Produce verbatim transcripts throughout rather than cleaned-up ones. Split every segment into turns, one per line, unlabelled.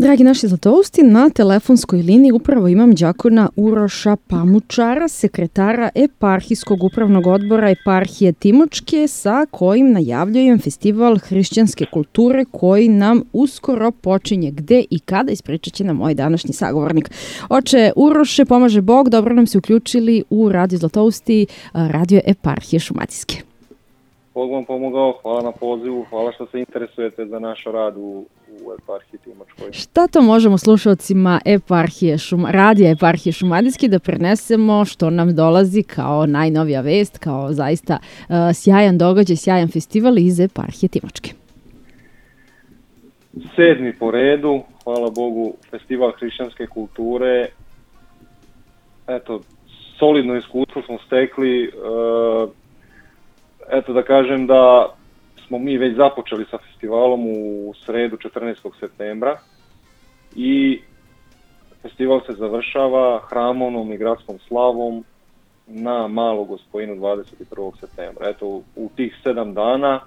Dragi naši zlatousti, na telefonskoj liniji upravo imam đakona Uroša Pamučara, sekretara Eparhijskog upravnog odbora Eparhije Timočke, sa kojim najavljujem festival hrišćanske kulture koji nam uskoro počinje. Gde i kada, ispričat će nam moj današnji sagovornik. Oče Uroše, pomaže Bog, dobro nam se uključili u Radio Zlatousti, radio Eparhije Šumadijske.
Bog vam pomogao, hvala na pozivu, hvala što se interesujete za naš rad u, u Eparhiji Timočkoj.
Šta to možemo slušalcima Eparhije Šum, radija Eparhije Šumadijske da prenesemo što nam dolazi kao najnovija vest, kao zaista uh, sjajan događaj, sjajan festival iz Eparhije Timočke?
Sedmi po redu, hvala Bogu, festival hrišćanske kulture. Eto, solidno iskustvo smo stekli. Uh, Eto da kažem da smo mi već započeli sa festivalom u sredu četrnaestog septembra i festival se završava hramovnom i gradskom slavom na Malu Gospojinu dvadeset prvog septembra. Eto, u tih sedam dana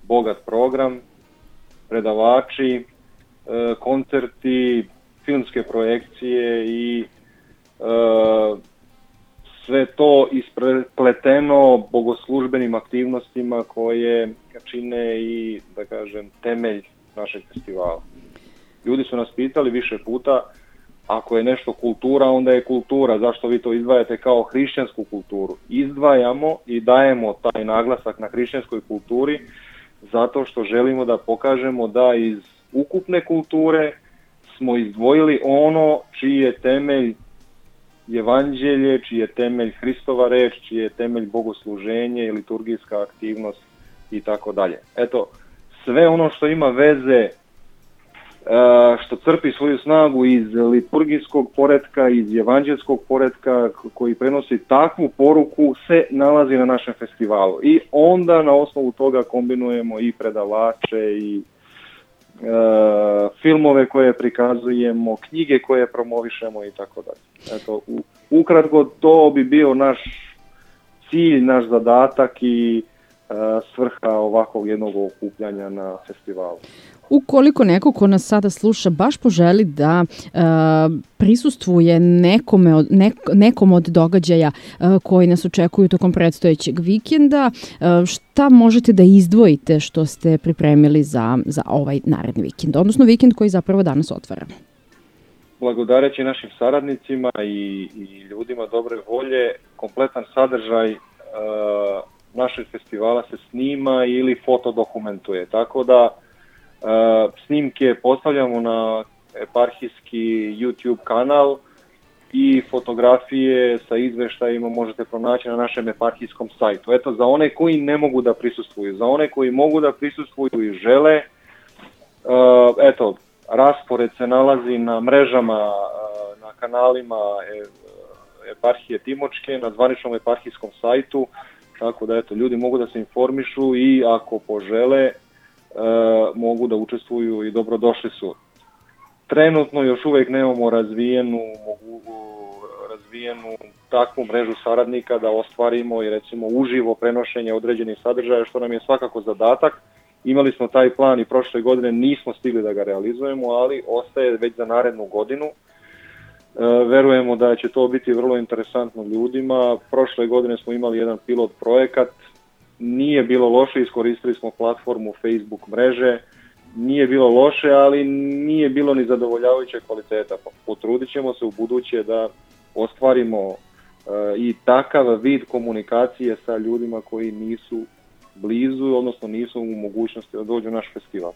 bogat program, predavači, koncerti, filmske projekcije i sve to ispleteno bogoslužbenim aktivnostima koje čine i, da kažem, temelj našeg festivala. Ljudi su nas pitali više puta, ako je nešto kultura, onda je kultura. Zašto vi to izdvajate kao hrišćansku kulturu? Izdvajamo i dajemo taj naglasak na hrišćanskoj kulturi zato što želimo da pokažemo da iz ukupne kulture smo izdvojili ono čiji je temelj Evanđelje, čiji je temelj Hristova reč, čiji je temelj bogosluženje i liturgijska aktivnost i tako dalje. Eto, sve ono što ima veze, što crpi svoju snagu iz liturgijskog poretka, iz evanđelskog poretka koji prenosi takvu poruku, se nalazi na našem festivalu. I onda na osnovu toga kombinujemo i predavače i Uh, filmove koje prikazujemo, knjige koje promovišemo i tako dalje. Eto, u, ukratko to bi bio naš cilj, naš zadatak i uh, svrha ovakvog jednog okupljanja na festivalu.
Ukoliko neko ko nas sada sluša baš poželi da uh, prisustvuje nekome od, nek, nekom od događaja uh, koji nas očekuju tokom predstojećeg vikenda, uh, šta možete da izdvojite što ste pripremili za, za ovaj naredni vikend, odnosno vikend koji zapravo danas otvaramo?
Blagodareći našim saradnicima i, i ljudima dobre volje, kompletan sadržaj uh, našeg festivala se snima ili fotodokumentuje, tako da Uh, snimke postavljamo na eparhijski YouTube kanal i fotografije sa izveštajima možete pronaći na našem eparhijskom sajtu. Eto, za one koji ne mogu da prisustvuju, za one koji mogu da prisustvuju i žele, uh, eto, raspored se nalazi na mrežama, uh, na kanalima Eparhije Timočke, na zvaničnom eparhijskom sajtu, tako da eto, ljudi mogu da se informišu i ako požele, Uh, mogu da učestvuju i dobrodošli su. Trenutno još uvijek nemamo razvijenu, mogu, razvijenu takvu mrežu saradnika da ostvarimo i recimo uživo prenošenje određenih sadržaja, što nam je svakako zadatak. Imali smo taj plan i prošle godine, nismo stigli da ga realizujemo, ali ostaje već za narednu godinu. Uh, verujemo da će to biti vrlo interesantno ljudima. Prošle godine smo imali jedan pilot projekat. Nije bilo loše, iskoristili smo platformu Facebook mreže, nije bilo loše, ali nije bilo ni zadovoljavajuće kvaliteta. Potrudit ćemo se u buduće da ostvarimo uh, i takav vid komunikacije sa ljudima koji nisu blizu, odnosno nisu u mogućnosti da dođu u naš festival.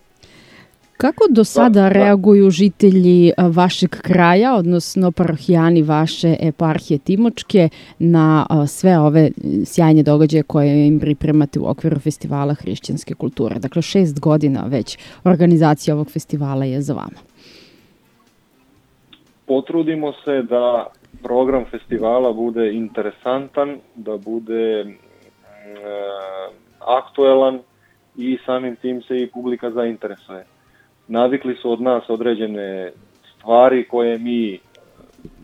Kako do sada da, reaguju žitelji vašeg kraja, odnosno parohijani vaše eparhije Timočke, na sve ove sjajne događaje koje im pripremate u okviru festivala hrišćanske kulture? Dakle, šest godina već organizacija ovog festivala je za vama.
Potrudimo se da program festivala bude interesantan, da bude e, aktuelan i samim tim se i publika zainteresuje. Navikli su od nas određene stvari koje mi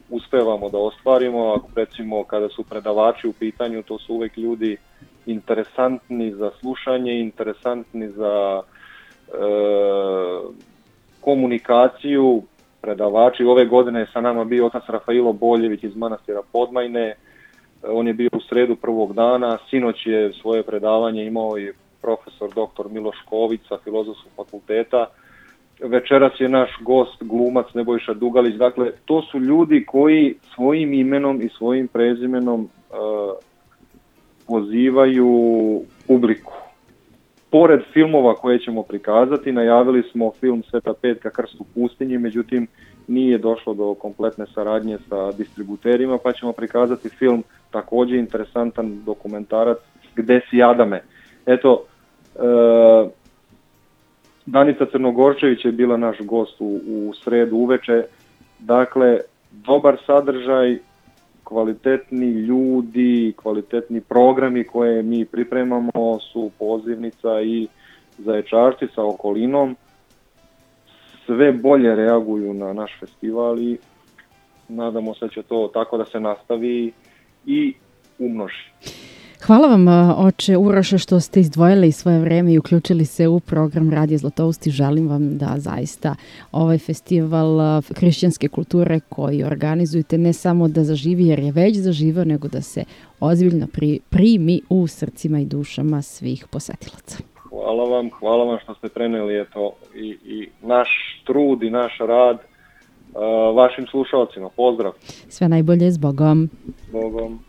uspevamo da ostvarimo, ako recimo kada su predavači u pitanju, to su uvek ljudi interesantni za slušanje, interesantni za e, komunikaciju, predavači. Ove godine je sa nama bio otac Rafailo Boljević iz manastira Podmajne. On je bio u sredu prvog dana. Sinoć je svoje predavanje imao i profesor doktor Miloš Ković sa Filozofskog fakulteta. Večeras je naš gost, glumac Nebojša Dugalić. Dakle, to su ljudi koji svojim imenom i svojim prezimenom uh, pozivaju publiku. Pored filmova koje ćemo prikazati, najavili smo film Sveta Petka Krst u pustinji, međutim nije došlo do kompletne saradnje sa distributerima, pa ćemo prikazati film, također interesantan dokumentarac, Gde si Adame. Eto, e, Danica Crnogorčević je bila naš gost u, u sredu uveče. Dakle, dobar sadržaj, kvalitetni ljudi, kvalitetni programi koje mi pripremamo su Pozivnica i Zaječarci sa okolinom. Sve bolje reaguju na naš festival i nadamo se da će to tako da se nastavi i umnoži.
Hvala vam, oče Uroše, što ste izdvojili svoje vreme i uključili se u program Radio Zlatoust i želim vam da zaista ovaj festival hrišćanske kulture koji organizujete ne samo da zaživi jer je već zaživao, nego da se ozbiljno pri, primi u srcima i dušama svih posetilaca.
Hvala vam, hvala vam što ste preneli eto, i, i naš trud i naš rad uh, vašim slušalcima. Pozdrav!
Sve najbolje, s Bogom!
S Bogom!